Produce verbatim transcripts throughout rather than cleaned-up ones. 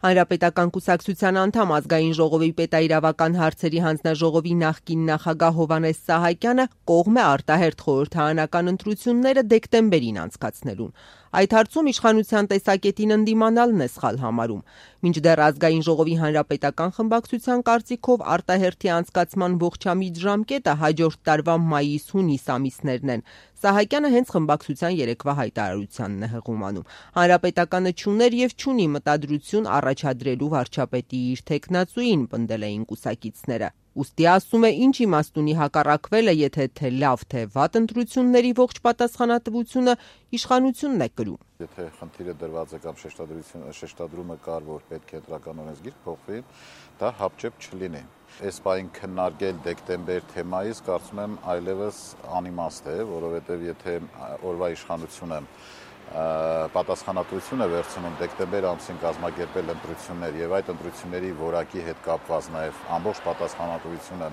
Հանրապետական կուսակցության անդամ ազգային ժողովի պետաիրավական հարցերի հանձնաժողովի նախկին նախագահ Հովհաննես Սահակյանը կողմ է արտահերթ խորհրդարանական ընտրությունները դեկտեմբերին անցկացնելուն։ Այդ հարցում իշխանության տեսակետին ընդդիմանալն է սխալ համարում։ Մինչդեռ ազգային ժողովի հանրապետական խմբակցության կարծիքով արտահերթի անցկացման ողջամիտ ժամկետը հաջորդ տարվա մայիս-հունիս ամիսներն են։ Սահակյանը հենց խմբակցության երեկվա հայտարարությանն է հղում անում։ Հանրապետականը չուներ եւ չունի մտադրություն առաջադրելու վարչապետի իր թեկնածուին, պնդել էին կուսակիցները։ Ուստի ասում է, ինչ իմաստ ունի հակառակվելը, եթե թե լավ, թե վատ ընտրությունների ողջ պատասխանատվությունը իշխանությունն է կրում։ Եթե խնդիրը դրված է կամ շեշտադրումը կար, որ պետք է ընտրական օրենսգիր փոխվի, դա հապճեպ չլինի։ Այս պահին քննարկել դեկտեմբեր թե մայիս, կարծում եմ այլևս անիմաստ է, որովհետև եթե օրվա իշխանությունը պատասխանատվություն է վերցնում դեկտեմբեր ամսին կազմակերպել ընտրություններ եւ այդ ընտրությունների որակի հետ կապված նաեւ ամբողջ պատասխանատվությունը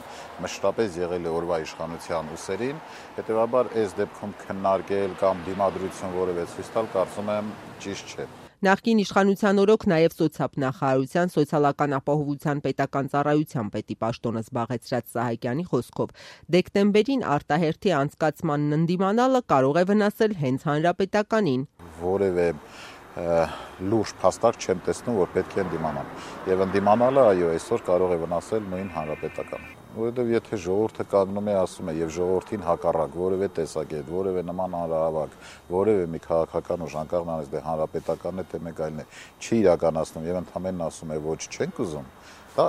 մշտապես եղել է օրվա իշխանության ուսերին, հետեւաբար այս դեպքում քննարկել կամ դիմադրություն որևէ ցույց տալ կարծում եմ ճիշտ չէ։ Նախկին իշխանության օրոք նաև սոցիալ-նախարարության սոցիալական ապահովության պետական ծառայության պետի պաշտոնը զբաղեցրած Սահակյանի խոսքով դեկտեմբերին արտահերթի անցկացմանն ընդդիմանալը կարող է վնասել հենց հանրապետականին։ Որևէ լուրջ փաստարկ չեմ տեսնում, որ պետք է ընդդիմանալ։ Եվ ընդդիմանալը, այո, այսօր կարող է վնասել նույն հանրապետականը։ Որովհետև եթե ժողովուրդը կանգնում է, ասում է եւ ժողովրդին հակառակ որևէ տեսակետ, որևէ նման հանրահավաք, որևէ մի քաղաքական ուժ անկախ նրանից դե հանրապետականն է թե մեկ այլն է, չի իրականացնում եւ ընդհանրապես ասում է ոչ չենք ուզում, դա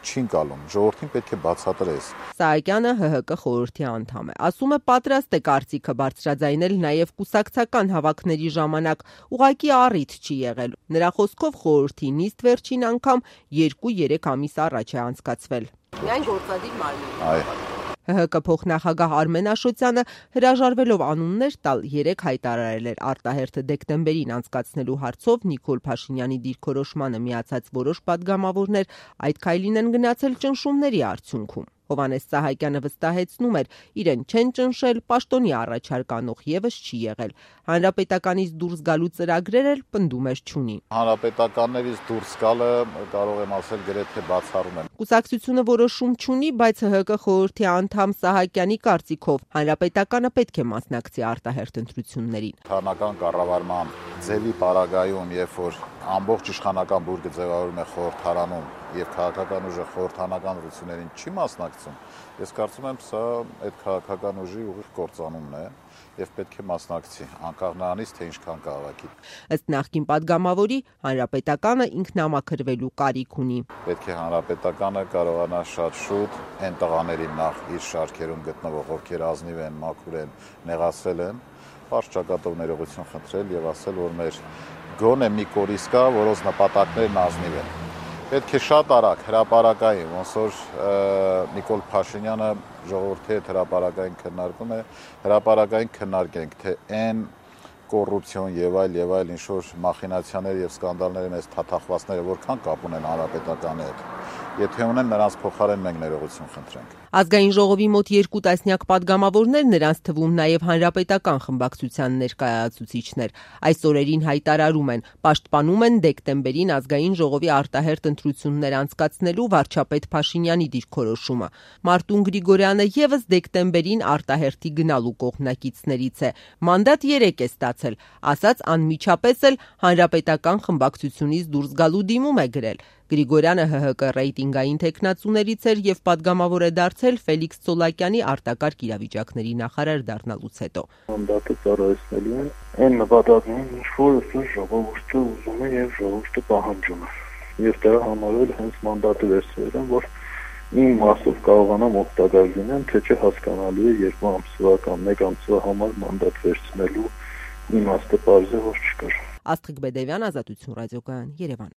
չի ընկալում, ժողովրդին պետք է բացատրես։ Սահակյանը ՀՀԿ խորհրդի անդամ է, ասում է պատրաստ է կարծիքը բարձրաձայնել նաև կուսակցական հավաքների ժամանակ, ուղղակի առիթ չի եղել։ Նրա խոսքով խորհրդի նիստ վերջին անգամ երկու-երեք ամիս առաջ է անցկացվել։ Միայն գործադիր մարմին։ ՀՀԿ փոխնախագահ Արմեն Աշոտյանը հրաժարվելով անուններ տալ երեկ հայտարարել էր արտահերթը դեկտեմբերին անցկացնելու հարցով Նիկոլ Փաշինյանի դիրքորոշմանը միացած որոշ պատգամավորներ այդ քայլին են գնացել ճնշումների արդյունքում։ Հովհաննես Սահակյանը վստահեցնում էր, իրեն չեն ճնշել, պաշտոնի առաջարկ անող եւս չի եղել։ Հանրապետականից դուրս գալու ծրագրեր էլ պնդում էր չունի։ Հանրապետականներից դուրս գալը կարող եմ ասել գրեթե բացառում եմ։ Կուսակցությունը որոշում չունի, բայց ՀՀԿ խորհրդի անդամ Սահակյանի կարծիքով հանրապետականը պետք է մասնակցի արտահերթ ընտրություններին։ Հանրական կառավարման ձևի պարագայում, երբ որ ամբողջ իշխանական բուրգը ձևավորում է խորհրդարանում եւ քաղաքական ուժը խորհրդանական ընտրություններին չի մասնակցում, ես կարծում եմ սա այդ քաղաքական ուժի ուղիղ կործանումն է եւ պետք է մասնակցի, անկախ նրանից թե ինչքան քաղաքի։ Ըստ նախկին պատգամավորի, հանրապետականը ինքնամաքրվելու կարիք ունի։ Պետք է հանրապետականը կարողանա շատ շուտ այն տղաներին նախ իր շարքերում գտնվող, ովքեր ազնիվ են, մաքուր են, նեղացել են, բարձ ճակատով ներողություն խնդրել եւ ասել, որ մեր գոնե մի կորիզ կա, որոնց նպատակներն ազնիվ են։ Պետք է շատ արագ հրապարակային, ոնց որ Նիկոլ Փաշինյանը ժողովրդի հետ հրապարակային քննարկում է, հրապարակային քննարկենք, թե այն կոռուպցիոն եւ այլ եւ այլ ինչ-որ մախինացիաներ եւ սկանդալների մեծ թաթախվածները որքան կապ ունեն հանրապետականի հետ։ Եթե ունեն, նրանց փոխարեն մենք ներողություն խնդրենք։ Ազգային ժողովի մոտ երկու տասնյակ պատգամավորներ, նրանց թվում նաև հանրապետական խմբակցության ներկայացուցիչներ, այս օրերին հայտարարում են, պաշտպանում են դեկտեմբերին ազգային ժողովի արտահերթ ընտրություններ անցկացնելու վարչապետ Փաշինյանի դիրքորոշումը։ Մարտուն Գրիգորյանը եւս դեկտեմբերին արտահերթի գնալու կողմնակիցներից է։ Մանդատ երեք է ստացել, ասաց անմիջապես էլ հանրապետական խմբակցությունից դուրս գալու դիմում է գրել։ Գրիգորյանը ՀՀԿ ռեյտինգային թեկնածուներից էր եւ պատգամավոր է դարձել Ֆելիքս Ցոլակյանի արտակարգ իրավիճակների նախարար դառնալուց հետո։ Մանդատը ծառայեցնելու է այն նպատակներին, ինչ որ ժողովուրդը ուզում է եւ ժողովուրդը պահանջում է։ Եվ դրա համար էլ հենց մանդատը վերցրել եմ, որ իմ մասով կարողանամ օգտակար լինեմ, թե չէ հասկանալու է երկու ամսվա կամ մեկ ամսվա համար մանդատ վերցնելու իմաստը բարձր որ չկար։ Աստղիկ Բեդևյան, Ազատություն ռադիոկայան, Երևան։